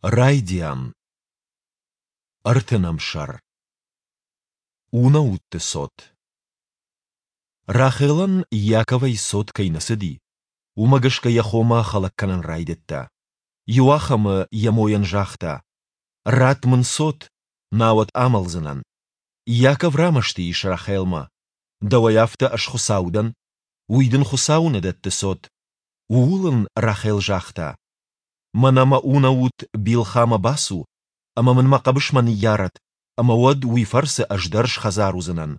Райдиан. Ӕртынӕм сӕр. Унӕутты цот. Рахелӕн Иаковӕй цот кӕй нӕ цыди, уымӕ гӕсгӕ йӕ хомӕ хӕлӕг кӕнын райдыдта. Иуахӕмы йӕ мойӕн загъта: «Ратт мын цот, науӕд амӕлдзынӕн». Иаков рамӕсты ис Рахелмӕ: «Дӕуӕй афтӕ ӕз Хуыцау дӕн? Уый дын Хуыцау нӕ дӕтты цот». Ууыл ын Рахел загъта: Мӕнӕ мӕ унӕут Билхамӕ бацу ӕмӕ мын мӕ хъӕбысмӕ ныййарӕд, ӕмӕ уӕд уый фӕрцы ӕз дӕр схӕдзар уыдзынӕн.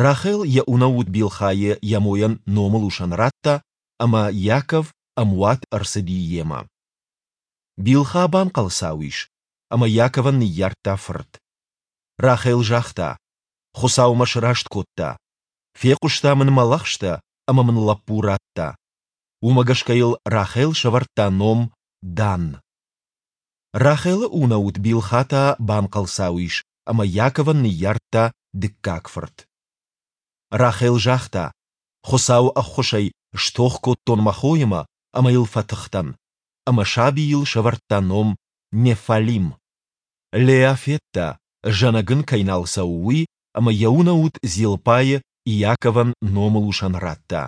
Рахел йӕ унӕут Билхайы йӕ мойӕн номылусӕн радта, ӕмӕ Иаков ӕмуат ӕрцыди йемӕ. Билха банхъӕлцау ис, ӕмӕ Иаковӕн ныййардта фырт. Рахел загъта, Хуыцау мӕ сраст кодта. Фехъуыста мын мӕ лӕгъстӕ ӕмӕ мын лӕппу радта. Уымӕ гӕсгӕ йыл Рахел сӕвӕрдта ном Дан. Рахелы унӕут Билха та банхъӕлцау ис ӕмӕ Иаковӕн ныййардта дыккаг фырт. Рахел загъта, Хуыцауы ӕххуысӕй стох кодтон мӕ хоимӕ ӕмӕ йыл фӕтых дӕн. Ӕмӕ сабийыл сӕвӕрдта ном Неффалим. Леа федта, зӕнӕг ын кӕй нал цӕуы, уый ӕмӕ йӕ унӕут Зилпӕйы Иаковӕн номылусӕн радта.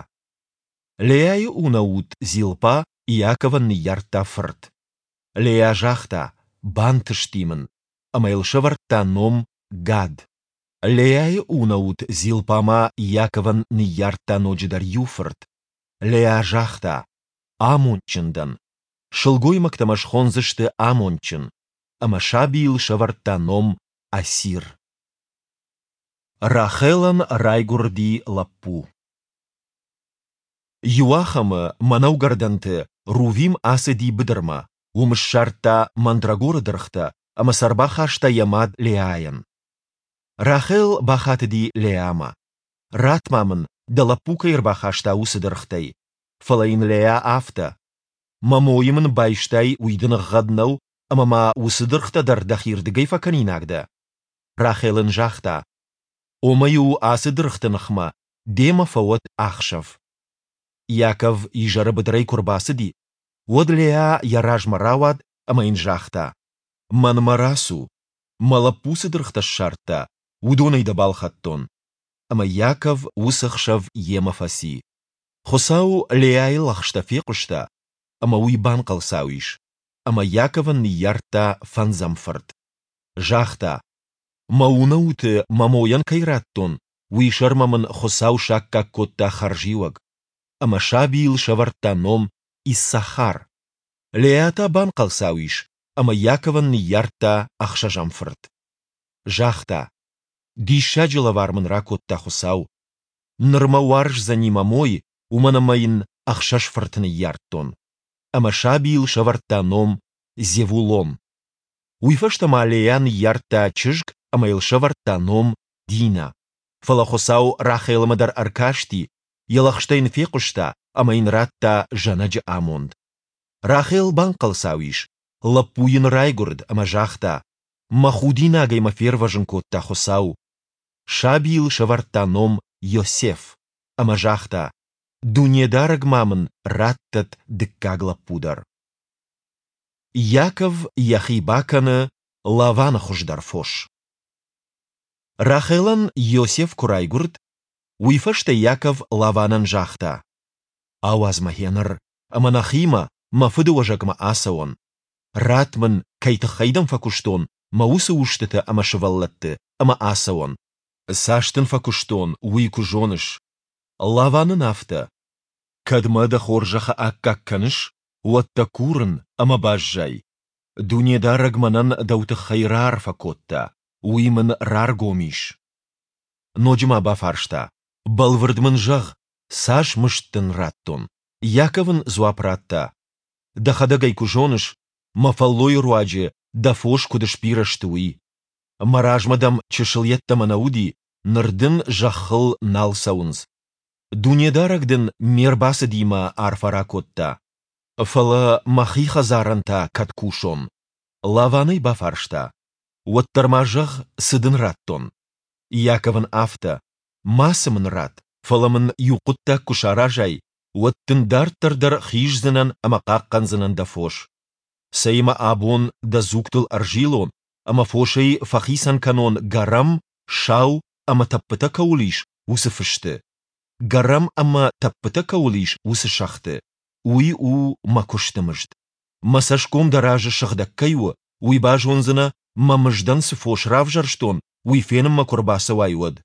Леайы унӕут Зилпа Иаковӕн ныййардта фырт. Леа загъта, Бантысти мын! Ӕмӕ йыл сӕвӕрдта ном Гад. Леайы унӕут Зилпа ма Иаковӕн ныййардта ноджыдӕр иу фырт. Леа загъта, Амондджын дӕн! Сылгоймӕгтӕ мӕ схондзысты амондджын. Ӕмӕ сабийыл сӕвӕрдта ном Асир. Рахелӕн райгуырди лӕппу. Иуахӕмы мӕнӕугӕрдӕнты Рувим ацыди быдырмӕ, уым ссардта мандрагоры дыргътӕ ӕмӕ сӕ ӕрбахаста йӕ мад Леайӕн. Рахел бахатыди Леамӕ: «Ратт-ма мын, дӕ лӕппу кӕй ӕрбахаста, уыцы дыргътӕй». Фӕлӕ йын Леа афтӕ: «Мӕ мойы мын байстай, уый дын ӕгъгъӕд нӕу, ӕмӕ ма уыцы дыргътӕ дӕр дӕхирдыгӕй фӕкӕнинаг дӕ?» Рахел ын загъта: «Омӕ-иу ацы дыргъты ныхмӕ демӕ фӕуӕд ахсӕв. Иаков изӕры быдырӕй куы рбацыди, уӕд Леа йӕ размӕ рауад ӕмӕ йын загъта: Мӕнмӕ рацу, мӕ лӕппу цы дыргътӕ ссардта, уыдонӕй дӕ балхӕдтон. Ӕмӕ Иаков уыцы хсӕв йемӕ фӕци. Хуыцау Леайы лӕгъстӕ фехъуыста, ӕмӕ уый банхъӕлцау ис, ӕмӕ Иаковӕн ныййардта фӕндзӕм фырт. Загъта, Мӕ унӕуты мӕ мойӕн кӕй радтон, уый сӕрмӕ мын Хуыцау саккаг кодта хӕрзиуӕг. Ӕмӕ сабийыл сӕвӕрдта ном Иссахар. Леа та банхъӕлцау ис ӕмӕ Иаковӕн ныййардта ӕхсӕзӕм фырт. Загъта, Диссаджы лӕвар мын ракодта Хуыцау. Ныр мӕ уарздзӕни мӕ мой, уымӕн ӕмӕ йын ӕхсӕз фырты ныййардтон. Ӕмӕ сабийыл сӕвӕрдта ном Зевулон. Уый фӕстӕ ма Леа ныййардта чызг ӕмӕ йыл сӕвӕрдта ном Дина. Фӕлӕ Хуыцау Рахелмӕ дӕр ӕркасти, йӕ лӕгъстӕ йын фехъуыста ӕмӕ йын радта зӕнӕджы амонд. Рахел банхъӕлцау ис, лӕппу йын райгуырд ӕмӕ загъта, Мӕ худинагӕй мӕ фервӕзын кодта Хуыцау. Сабийыл сӕвӕрдта ном Йосеф ӕмӕ загъта, Дунедарӕг ма мын раттӕд дыккаг лӕппу дӕр. Иаков йӕхи бакӕны Лаваны хуыздӕр фос. Рахелӕн Иосиф куы райгуырд, уый фӕстӕ Иаков Лаванӕн загъта: Ауадз мӕ гъеныр, ӕмӕ нӕхимӕ, мӕ фыдыуӕзӕгмӕ ацӕуон. Ратт мын, кӕй тыххӕй дӕм фӕкуыстон, мӕ уыцы устытӕ ӕмӕ сывӕллӕтты, ӕмӕ ацӕуон. Цас дын фӕкуыстон, уый куы зоныс. Лаван ын афтӕ: Кӕд мӕ дӕ хорзӕхы аккаг кӕныс, уӕд дӕ курын, ӕмӕ баззай. Дунедарӕг мӕнӕн дӕу тыххӕй раарфӕ кодта, уый мын раргом ис. Ноджы ма бафарста, Бӕлвырд мын зӕгъ, цас мызд дын радтон? Иаков ын дзуапп радта, Дӕхӕдӕг ӕй куы зоныс, мӕ фӕллойы руаджы дӕ фос куыд сбирӕ сты, уый. Мӕ размӕ дӕм чысыл йеддӕмӕ нӕ уыди, ныр дын зӕххыл нал цӕуынц. Дунедарӕг дын ме рбацыдимӕ арфӕ ракодта. Фӕлӕ мӕхи хӕдзарӕн та кӕд кусон? Лаван ӕй бафарста, Уӕддӕр ма зӕгъ, цы дын радтон? Иаков ын афтӕ, Мацы мын ратт, фӕлӕ мын иу хъуыддаг куы саразай, уӕд дын дарддӕр дӕр хиздзынӕн ӕмӕ хъахъхъӕндзынӕн дӕ фос. Цӕй-ма абон дӕ дзугтыл ӕрзилон ӕмӕ фосӕй фӕхицӕн кӕнон гӕрӕм, сау ӕмӕ тӕппытӕ кӕуыл ис, уыцы фысты, гӕрӕм ӕмӕ тӕппытӕ кӕуыл ис, уыцы сӕгъты. Уый у мӕ куысты мызд. Мӕ цӕсгом дӕ разы сыгъдӕг кӕй у, уый базондзынӕ, мӕ мыздӕн цы фос равзӕрстон, уый фенынмӕ куы рбацӕуай, уӕд.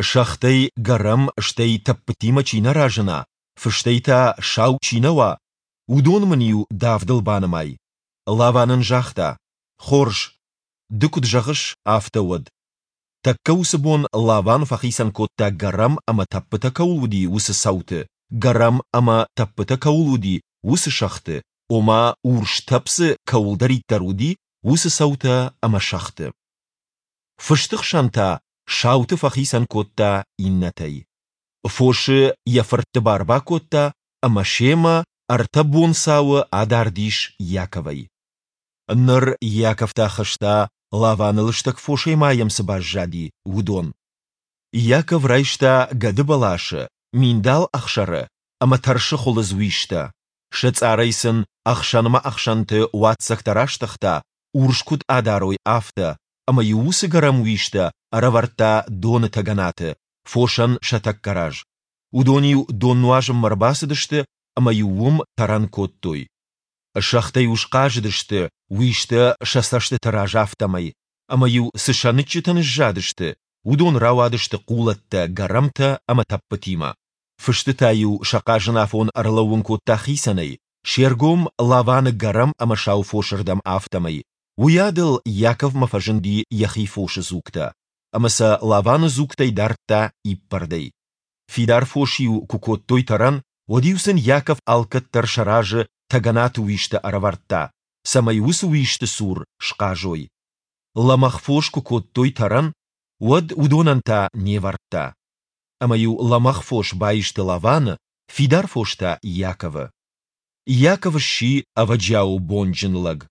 Сӕгътӕй гӕрӕм, стӕй тӕппытимӕ чи нӕ разына, фыстӕй та сау чи нӕ уа, уыдон мын-иу давдыл банымай. Лаван ын загъта, Хорз, ды куыд зӕгъыс, афтӕ уӕд. Тӕккӕ уыцы бон Лаван фӕхицӕн кодта гӕрӕм ӕмӕ тӕппытӕ кӕуыл уыди, уыцы цӕуты, гӕрӕм ӕмӕ тӕппытӕ кӕуыл уыди, уыцы сӕгъты, ома урс тӕпп дзы кӕуылдӕриддӕр уыди, уыцы цӕутӕ ӕмӕ сӕгъты. Фысты хсӕн та сауты фӕхицӕн кодта иннӕтӕй. Фосы йӕ фыртты бар бакодта ӕмӕ семӕ ӕртӕ бонцауы адард ис Иаковӕй. Ныр Иаков та хызта, Лаваны лыстӕг фосӕй ма йӕм цы баззади, уыдон. Иаков райста гӕдыбӕласы, миндал ӕхсӕры ӕмӕ тӕрсы хуылыдз уистӕ, сӕ цъарӕй сын ӕхсӕнмӕ-ӕхсӕнты уадздзӕгтӕ растыгъта, урс куыд адарой, афтӕ, ӕмӕ-иу уыцы гӕрӕм уистӕ ӕрӕвӕрдта доны тӕгӕнаты, фосӕн сӕ тӕккӕ раз. Уыдон-иу дон нуазынмӕ ӕрбацыдысты ӕмӕ-иу уым тӕрӕн кодтой. Сӕгътӕ-иу схъазыдысты, уистӕ сӕ цӕстыты раз афтӕмӕй, ӕмӕ-иу цы сӕныччытӕ ныззадысты, уыдон рауадысты хъулӕттӕ, гӕрӕмтӕ ӕмӕ тӕппытимӕ. Фысты та-иу сӕ хъазынафон ӕрлӕууын кодта хицӕнӕй, се ргом Лаваны гӕрӕм ӕмӕ сау фосырдӕм, афтӕмӕй. Уыйадыл Иаковмӕ фӕзынди йӕхи фосы дзугтӕ, ӕмӕ сӕ Лаваны дзугтӕй дардта иппӕрдӕй. Фидар фос-иу куы кодтой тӕрӕн, уӕд-иу сын Иаков алкӕддӕр сӕ разы тӕгӕнаты уистӕ ӕрӕвӕрдта, цӕмӕй уыцы уисты цур схъазой. Лӕмӕгъ фос куы кодтой тӕрӕн, уӕд уыдонӕн та не вӕрдта. Ӕмӕ-иу лӕмӕгъ фос баисты Лаваны, фидар фос та Иаковы. Иаков сси ӕвӕджиауы бонджын лӕг.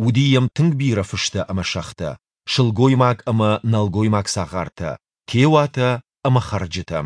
Уыди йӕм тынг бирӕ фыстӕ ӕмӕ сӕгътӕ, сылгоймаг ӕмӕ нӕлгоймаг цагъартӕ, теуатӕ ӕмӕ хӕрджытӕ.